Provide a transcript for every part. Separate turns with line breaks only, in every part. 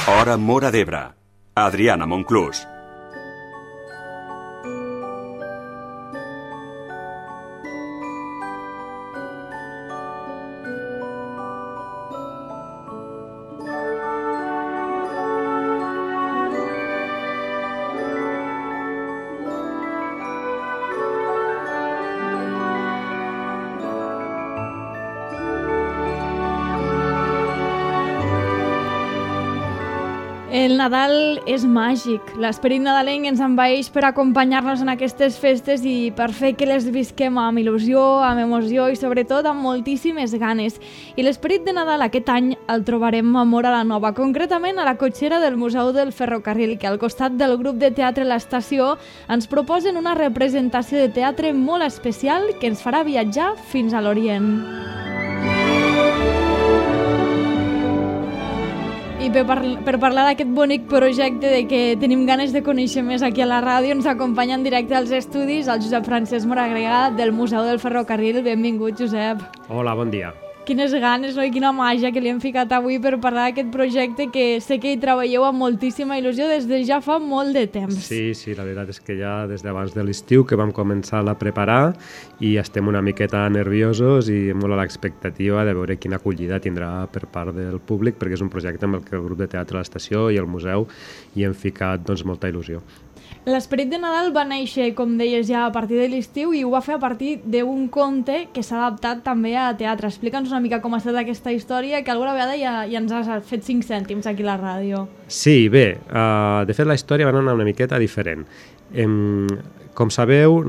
Hora Móra d'Ebre. Adriana Monclús.
El Nadal és màgic. L'esperit nadalenc ens envaeix per acompanyar-nos en aquestes festes i per fer que les visquem amb il·lusió, amb emoció i sobretot amb moltíssimes ganes. I l'esperit de Nadal aquest any el trobarem a Móra la Nova, concretament a la cotxera del Museu del Ferrocarril, que al costat del grup de teatre L'Estació ens proposen una representació de teatre molt especial que ens farà viatjar fins a l'Orient. I per parlar d'aquest bonic projecte de que tenim ganes de conèixer més aquí a la ràdio, ens acompanya en directe als estudis el Josep Francesc Moragrega del Museu del Ferrocarril. Benvingut, Josep.
Hola, bon dia.
Quines ganes, no? I quina màgia que li hem ficat avui per parlar d'aquest projecte que sé que hi treballeu amb moltíssima il·lusió des de ja fa molt de temps.
Sí, la veritat és que ja des d'abans de l'estiu que vam començar a preparar i estem una miqueta nerviosos i molt a l'expectativa de veure quina acollida tindrà per part del públic, perquè és un projecte amb el que el grup de teatre L'Estació i el museu hi hem ficat molta il·lusió.
L'esperit de Nadal va néixer, com deies, ja a partir de l'estiu i ho va fer a partir d'un conte que s'ha adaptat també a teatre. Explica'ns una mica com ha estat aquesta història, que alguna vegada ja ens has fet 5 cèntims aquí a la ràdio.
Sí, bé, de fet la història va anar una miqueta diferent. Com sabeu,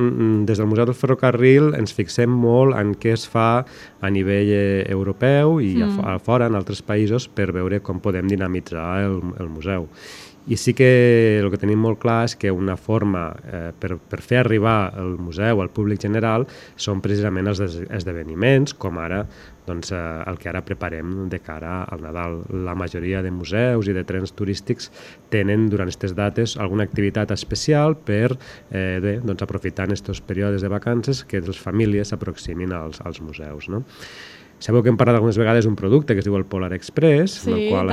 des del Museu del Ferrocarril ens fixem molt en què es fa a nivell europeu i a fora, en altres països, per veure com podem dinamitzar el museu. I sí que el que tenim molt clar és que una forma per fer arribar el museu al públic general són precisament els esdeveniments, com ara el que ara preparem de cara al Nadal. La majoria de museus i de trens turístics tenen durant aquestes dates alguna activitat especial per aprofitar en aquests períodes de vacances que les famílies s'aproximin als museus, no? Sabeu que hem parlat algunes vegades d'un producte que es diu el Polar Express, amb el qual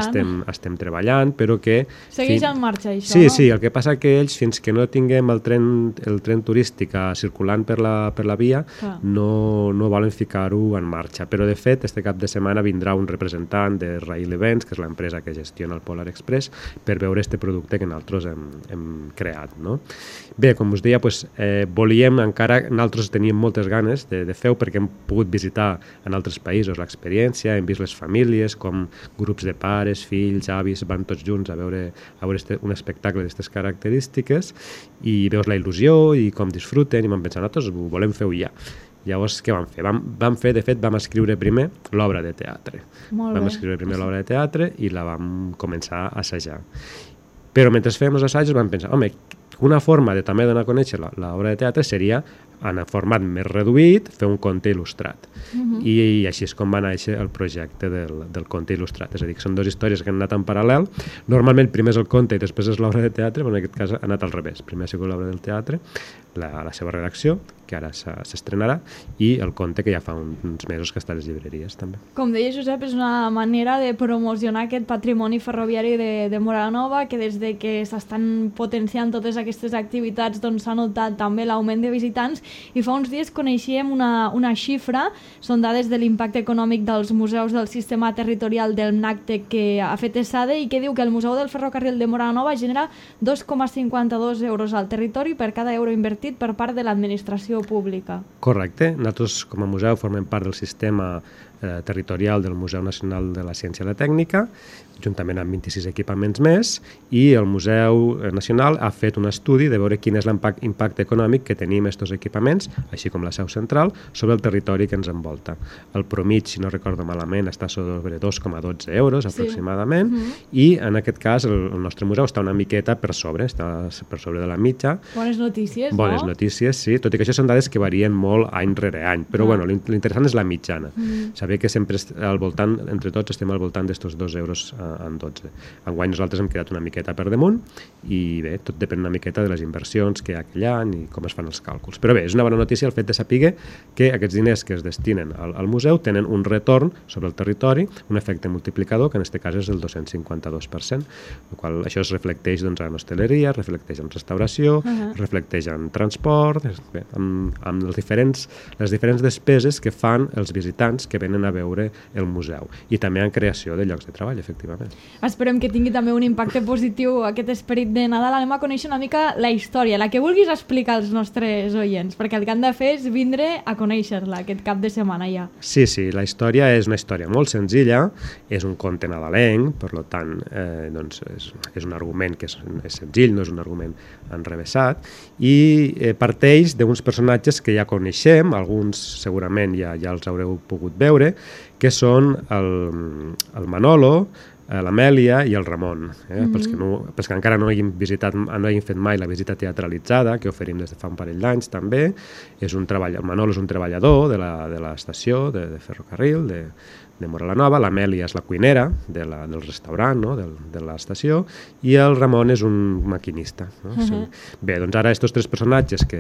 estem treballant, però que...
Segueix en marxa, això,
no?
Sí,
el que passa que ells, fins que no tinguem el tren turístic circulant per la via, no volen ficar-ho en marxa. Però, de fet, este cap de setmana vindrà un representant de Rail Events, que és l'empresa que gestiona el Polar Express, per veure este producte que nosaltres hem creat, no? Bé, com us deia, volíem encara... Nosaltres teníem moltes ganes de fer-ho perquè hem pogut visitar en altres països l'experiència, hem vist les famílies, com grups de pares, fills, avis, van tots junts a veure un espectacle d'aquestes característiques i veus la il·lusió i com disfruten i vam pensar, nosaltres ho volem fer ja. Llavors, què vam fer? De fet, vam escriure primer l'obra de teatre. Vam escriure primer l'obra de teatre i la vam començar a assajar. Però mentre fèiem els assajos vam pensar, una forma de també donar a conèixer l'obra de teatre seria, en format més reduït, fer un conte il·lustrat. I així és com va néixer el projecte del conte il·lustrat. És a dir, que són dues històries que han anat en paral·lel. Normalment primer és el conte i després és l'obra de teatre, però en aquest cas ha anat al revés. Primer ha sigut l'obra del teatre, la seva redacció, que ara s'estrenarà, i el conte que ja fa uns mesos que està a les llibreries també.
Com deia Josep, és una manera de promocionar aquest patrimoni ferroviari de Móra la Nova, que des de que s'estan potenciant totes aquestes activitats s'ha notat també l'augment de visitants, i fa uns dies coneixíem una xifra, són dades de l'impacte econòmic dels museus del sistema territorial del NACTE que ha fet ESADE i que diu que el Museu del Ferrocarril de Móra la Nova genera 2,52 euros al territori per cada euro invertit per part de l'administració pública.
Correcte. Nosaltres com a museu formem part del sistema territorial del Museu Nacional de la Ciència i la Tècnica, juntament amb 26 equipaments més, i el Museu Nacional ha fet un estudi de veure quin és l'impacte econòmic que tenim aquests equipaments, així com la seu central, sobre el territori que ens envolta. El promig, si no recordo malament, està sobre 2,12 euros aproximadament, i en aquest cas el nostre museu està una miqueta per sobre, està per sobre de la mitja.
Bones notícies, no?
Bones notícies, sí, tot i que això són dades que varien molt any rere any, però l'interessant és la mitjana. Saber que sempre al voltant, entre tots, estem al voltant d'estos 2 euros en 12. Enguany nosaltres hem quedat una miqueta per damunt i bé, tot depèn una miqueta miqueta de les inversions que hi ha aquell any i com es fan els càlculs. Però bé, és una bona notícia el fet de saber que aquests diners que es destinen al museu tenen un retorn sobre el territori, un efecte multiplicador, que en aquest cas és el 252%, el qual això es reflecteix doncs, en hostaleria, reflecteix en restauració, reflecteix en transport, bé, amb les diferents despeses que fan els visitants que venen a veure el museu i també en creació de llocs de treball, efectivament.
Esperem que tingui també un impacte positiu aquest esperit de Nadal. Anem a conèixer una mica la història, la que vulguis explicar als nostres oients, perquè el que han de fer és vindre a conèixer-la aquest cap de setmana ja.
Sí, la història és una història molt senzilla, és un conte nadalenc, per tant, doncs és un argument que és senzill, no és un argument enrevessat, i parteix d'uns personatges que ja coneixem, alguns segurament ja els haureu pogut veure, que són el Manolo, l'Amèlia i el Ramon. Pels que encara no hagin fet mai la visita teatralitzada, que oferim des de fa un parell d'anys també, el Manolo és un treballador de l'estació de ferrocarril de Móra la Nova, l'Amèlia és la cuinera del restaurant, no? de l'estació, i el Ramon és un maquinista. No? Bé, doncs ara aquests tres personatges que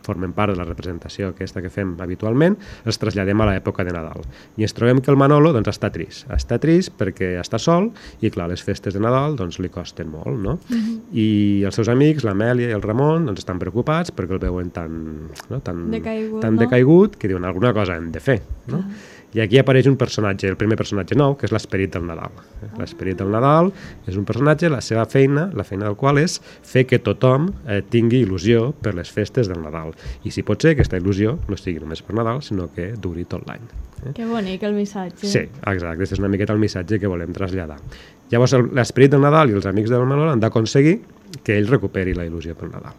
formen part de la representació aquesta que fem habitualment, els traslladem a l'època de Nadal. I ens trobem que el Manolo està trist. Està trist perquè està sol i, clar, les festes de Nadal li costen molt, no? I els seus amics, l'Amèlia i el Ramon, estan preocupats perquè el veuen tan decaigut que diuen alguna cosa hem de fer, no? I aquí apareix un personatge, el primer personatge nou, que és l'Esperit del Nadal. L'Esperit del Nadal és un personatge, la seva feina, la feina del qual és fer que tothom tingui il·lusió per les festes del Nadal. I si pot ser, aquesta il·lusió no sigui només per Nadal, sinó que duri tot l'any.
Que bonic el missatge.
Sí, exacte, aquest és una miqueta el missatge que volem traslladar. Llavors, l'Esperit del Nadal i els amics del Manol han d'aconseguir que ell recuperi la il·lusió pel Nadal.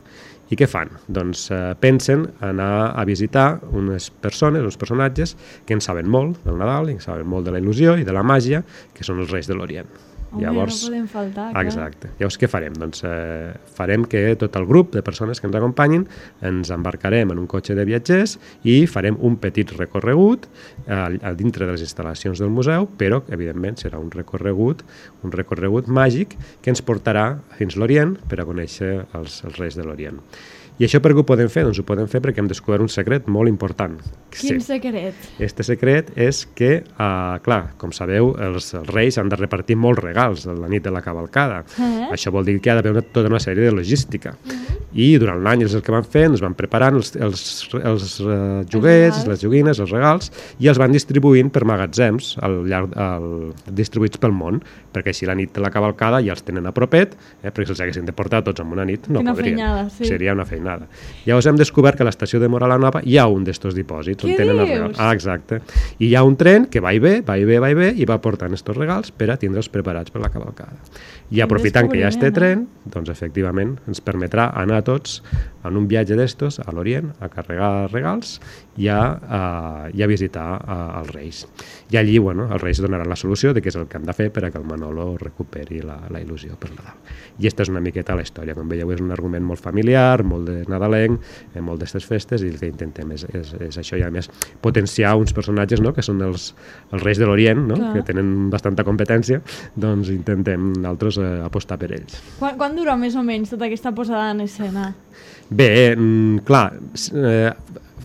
I què fan? Doncs pensen anar a visitar unes persones, uns personatges que en saben molt del Nadal, i en saben molt de la il·lusió i de la màgia, que són els Reis de l'Orient.
Llavors, no podem faltar, clar.
Exacte. Llavors, què farem? Doncs farem que tot el grup de persones que ens acompanyin ens embarcarem en un cotxe de viatgers i farem un petit recorregut a dintre de les instal·lacions del museu, però, evidentment, serà un recorregut màgic que ens portarà fins l'Orient per a conèixer els Reis de l'Orient. I això per què ho podem fer? Doncs ho podem fer perquè hem descobert un secret molt important.
Quin secret?
Este secret és que, clar, com sabeu, els reis han de repartir molts regals la nit de la cavalcada. Això vol dir que ha d'haver tota una sèrie de logística. I durant l'any és el que van fer, ens van preparant els joguets, les joguines, els regals, i els van distribuint per magatzems distribuïts pel món, perquè així la nit de la cavalcada ja els tenen a propet, perquè si els haguessin de portar tots en una nit no podrien. Seria una feinada. Llavors hem descobert que a l'estació de Móra la Nova hi ha un d'estos dipòsits.
Què dius?
Exacte. I hi ha un tren que va i ve i va portant estos regals per a tindre'ls preparats per la cavalcada. I aprofitant que hi ha este tren, doncs efectivament ens permetrà anar tots en un viatge d'estos a l'Orient a carregar regals i a visitar els Reis. I allí, els Reis donaran la solució de què és el que han de fer per a que el Manolo recuperi la il·lusió per Nadal. I aquesta és una miqueta la història. Com veieu, és un argument molt familiar, molt de nadalenc, molt d'estes festes, i el que intentem és això, i a més potenciar uns personatges, no?, que són els Reis de l'Orient, no?, que tenen bastanta competència, doncs intentem nosaltres apostar per ells.
Quan dura més o menys tota aquesta posada en escena?
Bé, clar,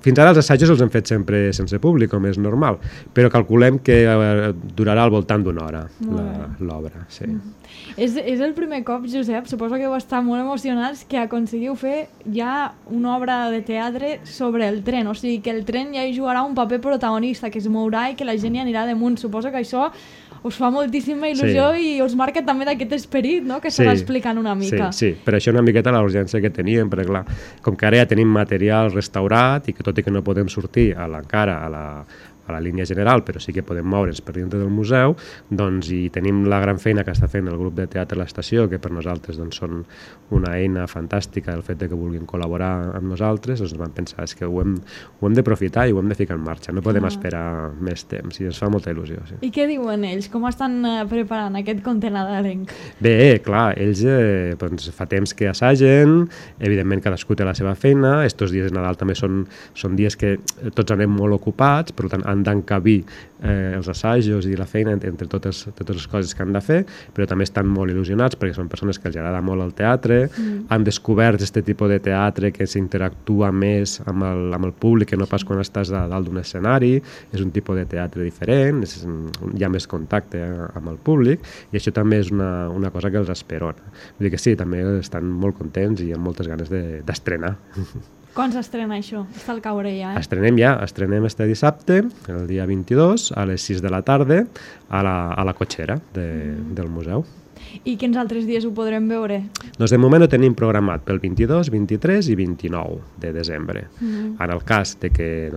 fins ara els assajos els hem fet sempre sense públic, com és normal, però calculem que durarà al voltant d'una hora l'obra. Sí.
És el primer cop, Josep, suposo que heu estat molt emocionats, que aconseguiu fer ja una obra de teatre sobre el tren, o sigui que el tren ja hi jugarà un paper protagonista, que es mourà i que la gent hi anirà damunt. Suposo que això us fa moltíssima il·lusió i us marca també d'aquest esperit, no?, que s'ha explicant una mica.
Sí, per això una miqueta la urgència que teníem, perquè clar, com que ara ja tenim material restaurat i que tot i que no podem sortir encara a la línia general, però sí que podem moure'ns per dintre del museu, doncs, i tenim la gran feina que està fent el grup de teatre a l'estació, que per nosaltres doncs, són una eina fantàstica, el fet de que vulguin col·laborar amb nosaltres, doncs vam pensar que ho hem d'aprofitar i ho hem de ficar en marxa, no podem esperar més temps, i ens fa molta il·lusió. Sí.
I què diuen ells? Com estan preparant aquest conte nadalenc?
Bé, clar, ells doncs, fa temps que assagen, evidentment cadascú té la seva feina, estos dies de Nadal també són dies que tots anem molt ocupats, per tant han d'encabir els assajos i la feina entre totes les coses que han de fer, però també estan molt il·lusionats perquè són persones que els agrada molt el teatre, han descobert aquest tipus de teatre que s'interactua més amb el públic, que no pas quan estàs a dalt d'un escenari, és un tipus de teatre diferent, hi ha més contacte amb el públic, i això també és una cosa que els esperona. Vull dir que sí, també estan molt contents i amb moltes ganes d'estrenar.
Quan s'estrena això? Està al caure ja,
Estrenem este dissabte, el dia 22, a les 6 de la tarda, a la cotxera del museu.
I quins altres dies ho podrem veure?
Doncs de moment ho tenim programat pel 22, 23 i 29 de desembre. En el cas de que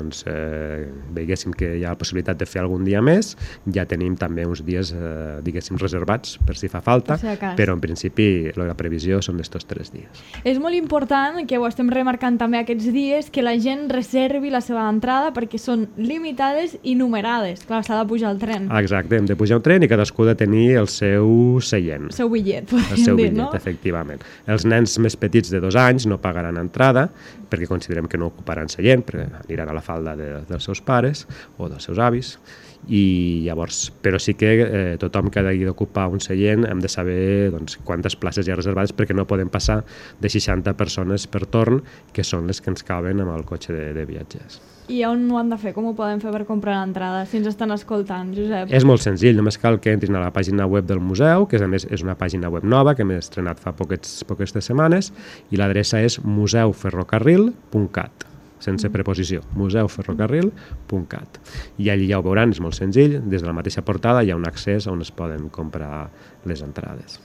veiéssim que hi ha la possibilitat de fer algun dia més, ja tenim també uns dies, diguéssim, reservats per si fa falta, però en principi la previsió són d'estos 3 dies.
És molt important, que ho estem remarcant també aquests dies, que la gent reservi la seva entrada perquè són limitades i numerades. Clar, s'ha de pujar al tren.
Exacte, hem de pujar al tren i cadascú ha de tenir el seu seient.
El seu bitllet,
podríem dir, no? Efectivament. Els nens més petits de 2 anys no pagaran entrada perquè considerem que no ocuparan seient, perquè aniran a la falda dels seus pares o dels seus avis, i llavors, però sí que tothom que hagi d'ocupar un seient hem de saber quantes places hi ha reservades, perquè no podem passar de 60 persones per torn, que són les que ens caben amb el cotxe de viatgers.
I on ho han de fer? Com ho poden fer per comprar l'entrada, si ens estan escoltant, Josep?
És molt senzill, només cal que entrin a la pàgina web del museu, que a més és una pàgina web nova que hem estrenat fa poques setmanes, i l'adreça és museuferrocarril.cat, sense preposició, museuferrocarril.cat. I allí ja ho veuran, és molt senzill, des de la mateixa portada hi ha un accés on es poden comprar les entrades.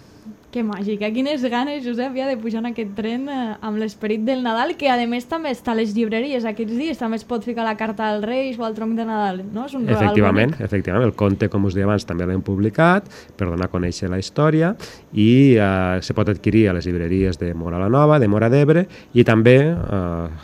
Que màgica, quines ganes, Josep, ja de pujar en aquest tren amb l'esperit del Nadal, que a més també està a les llibreries aquests dies, també es pot ficar la carta als Reis o al tronc de Nadal, no? És un regal bonic. Efectivament,
el conte, com us deia abans, també l'hem publicat per donar a conèixer la història, i se pot adquirir a les llibreries de Móra la Nova, de Móra d'Ebre, i també,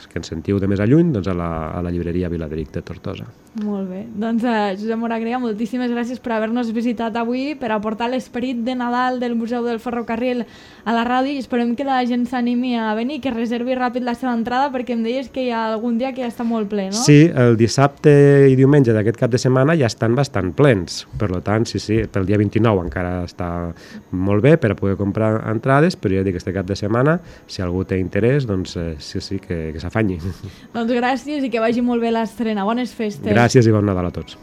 que ens sentiu de més a lluny, a la llibreria Viladric de Tortosa.
Molt bé, doncs Josep Moragrea, moltíssimes gràcies per haver-nos visitat avui, per aportar l'esperit de Nadal del Museu del Ferrocarril a la ràdio, i esperem que la gent s'animi a venir, que reservi ràpid la seva entrada, perquè em deies que hi ha algun dia que ja està molt ple, no?
Sí, el dissabte i diumenge d'aquest cap de setmana ja estan bastant plens, per tant, sí, pel dia 29 encara està molt bé per a poder comprar entrades, però ja dic, aquest cap de setmana, si algú té interès, doncs sí, que s'afanyi.
Doncs gràcies i que vagi molt bé l'estrena. Bones festes.
Gràcies i bon Nadal a tots.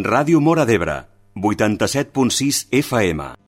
Ràdio Móra d'Ebre, 87.6 FM.